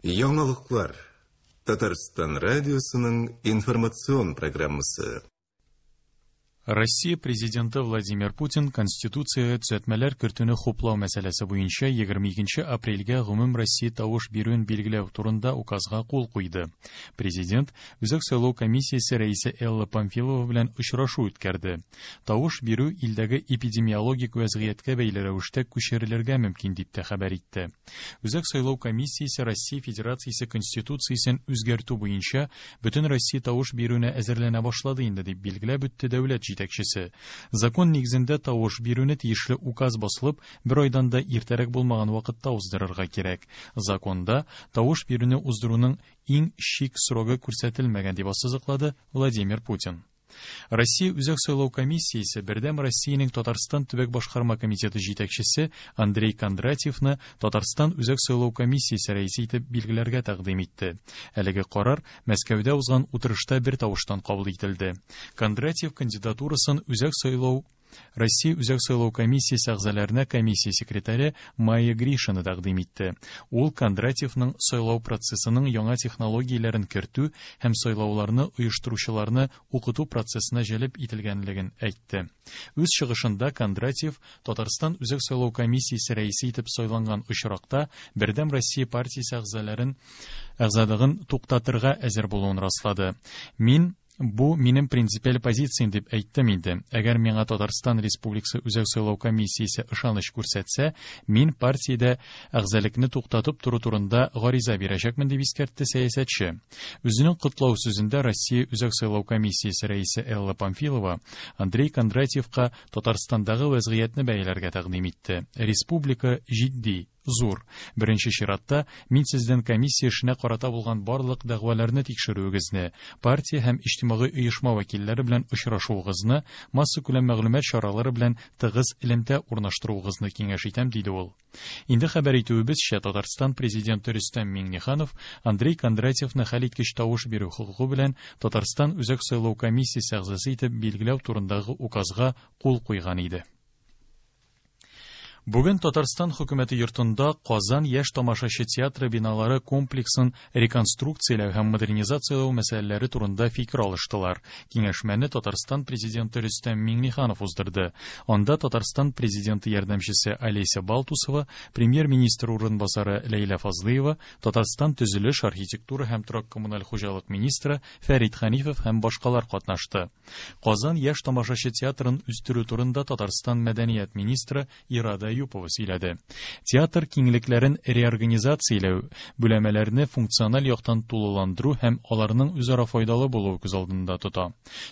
Яңалыклар. Татарстан радиосының информацион программасы. Россия Президенты Владимир Путин Конституциягә төзәтмәләр кертүне хуплау мәсьәләсе буенча 22 апрельгә гомум Россия тавыш бирүен билгеләү турында указга кул куйды. Президент Үзәк сайлау комиссиясе рәисе Элла Памфилова белән очрашу үткәрде. Тавыш бирү илдәге эпидемиологик вәзгыятькә бәйле рәвештә күчерелергә мөмкин дип тә хәбәр итте. Үзәк сайлау комиссиясе Россия Федерациясе Конституциясен үзгәртү буенча Бөтенроссия тавыш бирүенә әзерләнә башлады инде, дип билгеләп үтте дәүләт җитәкчесе. Закон нигезендә тавыш бирүне тиешле указ басылып, бер айдан да иртәрәк булмаган вакытта уздырырга кирәк. Законда тавыш бирүне уздыруның иң чик срогы күрсәтелмәгән, дип ассызыклады Владимир Путин. Россия Үзәк сайлау комиссиясе Бердәм Россиянең Татарстан төбәк башкарма комитеты җитәкчесе Андрей Кондратьевны Татарстан Үзәк сайлау комиссиясе рәисе итеп билгеләргә тәкъдим итте. Әлеге карар Мәскәүдә узган утырышта бер тавыштан кабул ителде. Кондратьев кандидатурасын Үзәк сайлау Россия Үзәк сайлау комиссиясе әгъзаларына комиссия секретаре Майя Гришина тәкъдим итте. Ул Кондратьевның сайлау процессының яңа технологияләрен кертү һәм сайлауларны оештыручыларны укыту процессына җәлеп ителгәнлеген әйтте. Үз чыгышында Кондратьев Татарстан Үзәк сайлау комиссиясе рәисе итеп сайланган очракта Бердәм Россия партиясе әгъзаларын әгъзалыгын туктатырга әзер булуын раслады. Мин Бу минем принципиаль позициям дип әйттем инде. Әгәр миңа Татарстан Республикасы Үзәк сайлау комиссиясе ышаныч күрсәтсә, мин партиядә әгъзалекне туктатып тору турында гариза бирәчәкмен, дип искәртте сәясәтче. Үзенең котлау сүзендә Россия Үзәк сайлау комиссиясе рәисе Элла Памфилова Андрей Кондратьевка Татарстандагы вәзгыятьне бәяләргә тәкъдим итте. Республика җитди, зур. Беренче чиратта, мин сездән комиссия эшенә карата булган барлык дәгъваларны тикшерүегезне, партия һәм иҗтимагый оешма вәкилләре белән очрашуыгызны, массакүләм мәгълүмат чаралары белән тыгыз элемтә урнаштыруыгызны киңәш итәм, диде ул. Инде хәбәр итүебезчә, Татарстан Президенты Рөстәм Миңнеханов Андрей Кондратьевны хәлиткеч тавыш бирү хокукы белән Татарстан Үзәк сайлау комиссиясе әгъзасы итеп билгеләү турындагы указга кул куйган иде. Бүген Татарстан хөкүмәте йортында Казан яшь тамашачы театры биналары комплексын реконструкцияләү һәм модернизацияләү мәсьәләләре турында фикер алыштылар. Киңәшмәне Татарстан Президенты Рөстәм Миңнеханов уздырды. Анда Татарстан Президенты ярдәмчесе Олеся Балтусова, премьер-министр урынбасары Ләйлә Фазлыева, Татарстан төзелеш, архитектура һәм торак-коммуналь хуҗалык министры Фәрит Хәнифов һәм башкалар катнашты. Казан яшь тамашачы театрын үстерү турында Татарстан мәдәният министры Ирада Әюпова сөйләде. Театр киңлекләрен реорганизацияләү, бүләмәләрне функциональ яктан тулыландыру һәм аларның үзара файдалы булуы күз алдында тота.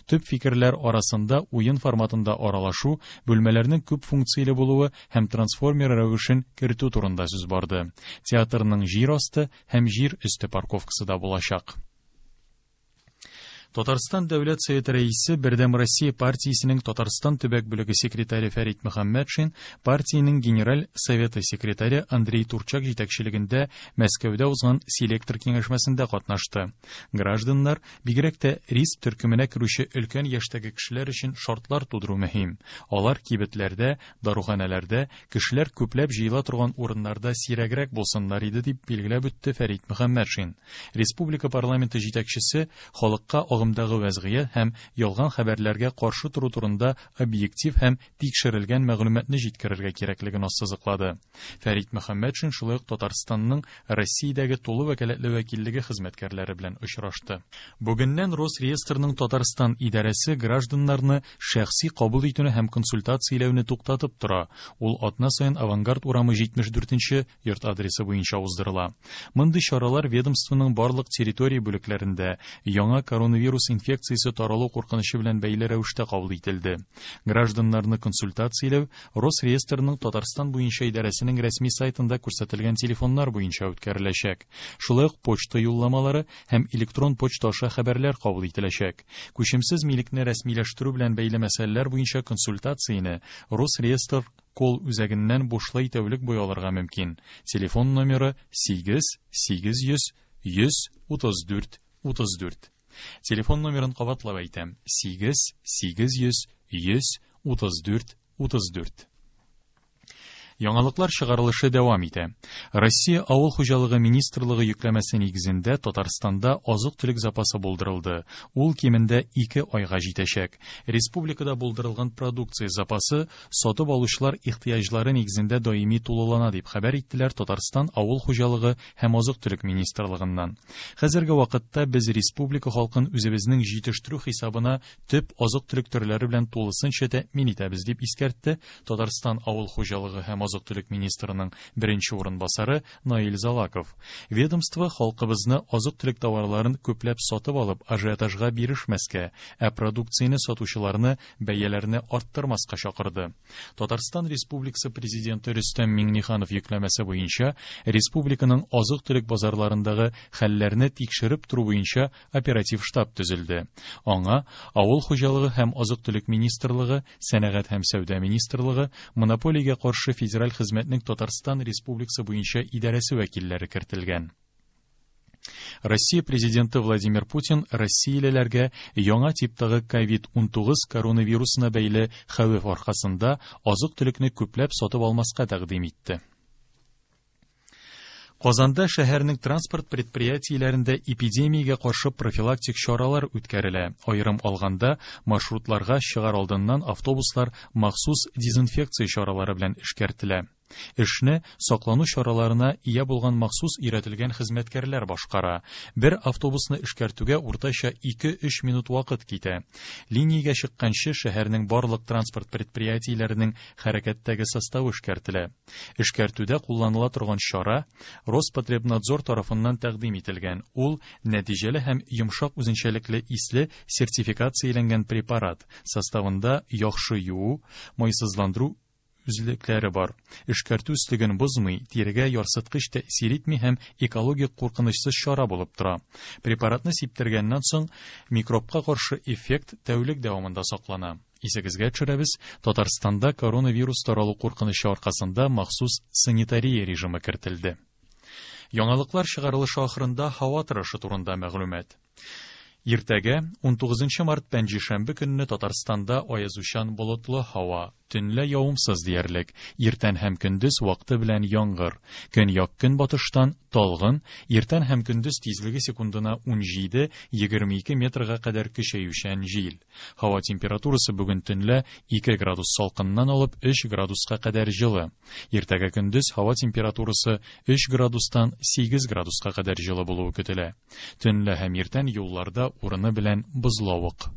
Төп фикерләр арасында уен форматында аралашу, бүлмәләрнең күп функцияле булуы һәм трансформер рәвешен кертү турында сүз барды. Театрның җир асты һәм җир өсте парковкасы да булачак. Татарстан Дәүләт Советы рәисе, Бердәм Россия партиясенең Татарстан төбәк бүлеге секретаре Фәрит Мөхәммәтшин, партиянең Генераль Советы секретаре Андрей Турчак җитәкчелегендә Мәскәүдә узган селектор киңәшмәсендә катнашты. Гражданнар, бигрәк тә риск төркеменә керүче өлкән яшьтәге кешеләр өчен шартлар тудыру мөһим. Алар кибетләрдә, даруханәләрдә, кешеләр күпләп җыела торган урыннарда сирәгрәк булсыннар иде, дип билгеләп үтте Фәрит Мөхәммәтшин. Республика парламенты җитәкчесе халыкка агымдагы вәзгыять һәм ялган хәбәрләргә каршы тору турында объектив һәм тикшерелгән мәгълүматны җиткерергә кирәклеген ассызыклады. Фәрит Мөхәммәтшин шулай ук Татарстанның Россиядәге тулы вәкаләтле вәкиллеге хезмәткәрләре белән очрашты. Бүгеннән Росреестрның Татарстан идарәсе гражданнарны шәхси кабул итүне һәм консультацияләүне туктатып тора. Ул атна саен Авангард урамы 74 нче йорт адресы буенча уздырыла. Мондый чаралар ведомствоның барлык территория бүлекләрендә яңа коронавирус инфекциясе таралу куркынычы белән бәйле рәвештә кабул ителде. Гражданнарны консультацияләү Росреестрның Татарстан буенча идарәсенең рәсми сайтында күрсәтелгән телефоннар буенча үткәреләчәк. Шулай ук почта юлламалары һәм электрон почта аша хәбәрләр кабул ителәчәк. Күчемсез милекне рәсмиләштерү белән бәйле мәсьәләләр буенча консультацияне Росреестр колл-үзәгеннән бушлай тәүлек буе алырга мөмкин. Телефон номеры 8 800 134 34. Телефон номерын кабатлап әйтәм, 8 800 134 34. Яңалыклар чыгарылышы дәвам итә. Россия Авыл хуҗалыгы министрлыгы йөкләмәсе нигезендә Татарстанда азык-төлек запасы булдырылды. Ул кимендә 2 айга җитәчәк. Республикада булдырылган продукция запасы сатып алучылар ихтыяҗлары нигезендә даими тулылана, дип хәбәр иттеләр Татарстан Авыл хуҗалыгы һәм азык-төлек министрлыгыннан. Хәзерге вакытта без республика халкын үзебезнең җитештерү хисабына төп азык-төлек төрләре белән тулысынча тәэмин итәбез, дип искәртте Татарстан Авыл хуҗалыгы һәм азык-төлек министрының беренче урынбасары Наил Залаков. Ведомство халкыбызны азык-төлек товарларын күпләп сатып алып ажиотажга бирешмәскә, ә продукцияне сатучыларны бәяләрне арттырмаска чакырды. Татарстан Республикасы Президенты Рөстәм Миңнеханов йөкләмәсе буенча республиканың азык-төлек базарларындагы хәлләрне тикшереп тору буенча оператив штаб төзелде. Аңа Авыл хуҗалыгы һәм азык-төлек министрлыгы, Сәнәгать һәм сәүдә министрлыгы, Монополиягә каршы федераль хезмәтнең Татарстан Республикасы буенча идарәсе вәкилләре кертелгән. Россия Президенты Владимир Путин россиялеләргә яңа типтагы COVID-19 коронавирусына бәйле хәвеф аркасында азык-төлекне күпләп сатып алмаска тәкъдим итте. Казанда шәһәрнең транспорт предприятиеләрендә эпидемиягә каршы профилактик чаралар үткәрелә. Аерым алганда, маршрутларга чыгар алдыннан автобуслар махсус дезинфекция чаралары белән эшкәртелә. Эшне саклану чараларына ия булган махсус өйрәтелгән хезмәткәрләр башкара. Бер автобусны эшкәртүгә уртача 2-3 минут вакыт китә. Линиягә чыкканчы шәһәрнең барлык транспорт предприятиеләренең хәрәкәттәге составы эшкәртелә. Эшкәртүдә кулланыла торган чара Роспотребнадзор тарафыннан тәкъдим ителгән. Ул нәтиҗәле һәм йомшак үзенчәлекле исле сертификацияләнгән препарат. Составында яхшы юу, майсызландыру үзлекләре бар. Эшкәртү өслеген бозмый, тирегә ярсыткыч тәэсир итми һәм экологик куркынычсыз чара булып тора. Препаратны сиптергәннән соң микробка каршы эффект тәүлек дәвамында саклана. Исегезгә төшерәбез, Татарстанда коронавирус таралу куркынычы аркасында махсус санитария режимы кертелде. Яңалыклар чыгарылышы ахырында һава торышы турында мәгълүмат. Иртәгә, 19 март пәнҗешәмбе көнне Татарстанда аязучан болытлы һава, төнлә явымсыз диярлек, иртән һәм көндез вакыты белән яңгыр. Көньяк-көнбатыштан талгын, иртән һәм көндез тизлеге секундына 17-22 метрга кадәр көчәючән җил. Һава температурасы бүген төнлә 2 градус салкыннан алып 3 градуска кадәр җылы. Иртәгә көндез һава температурасы 3 градустан 8 градуска кадәр җылы булуы көтелә. Төнлә һәм иртән юлларда урыны белән бозлавык.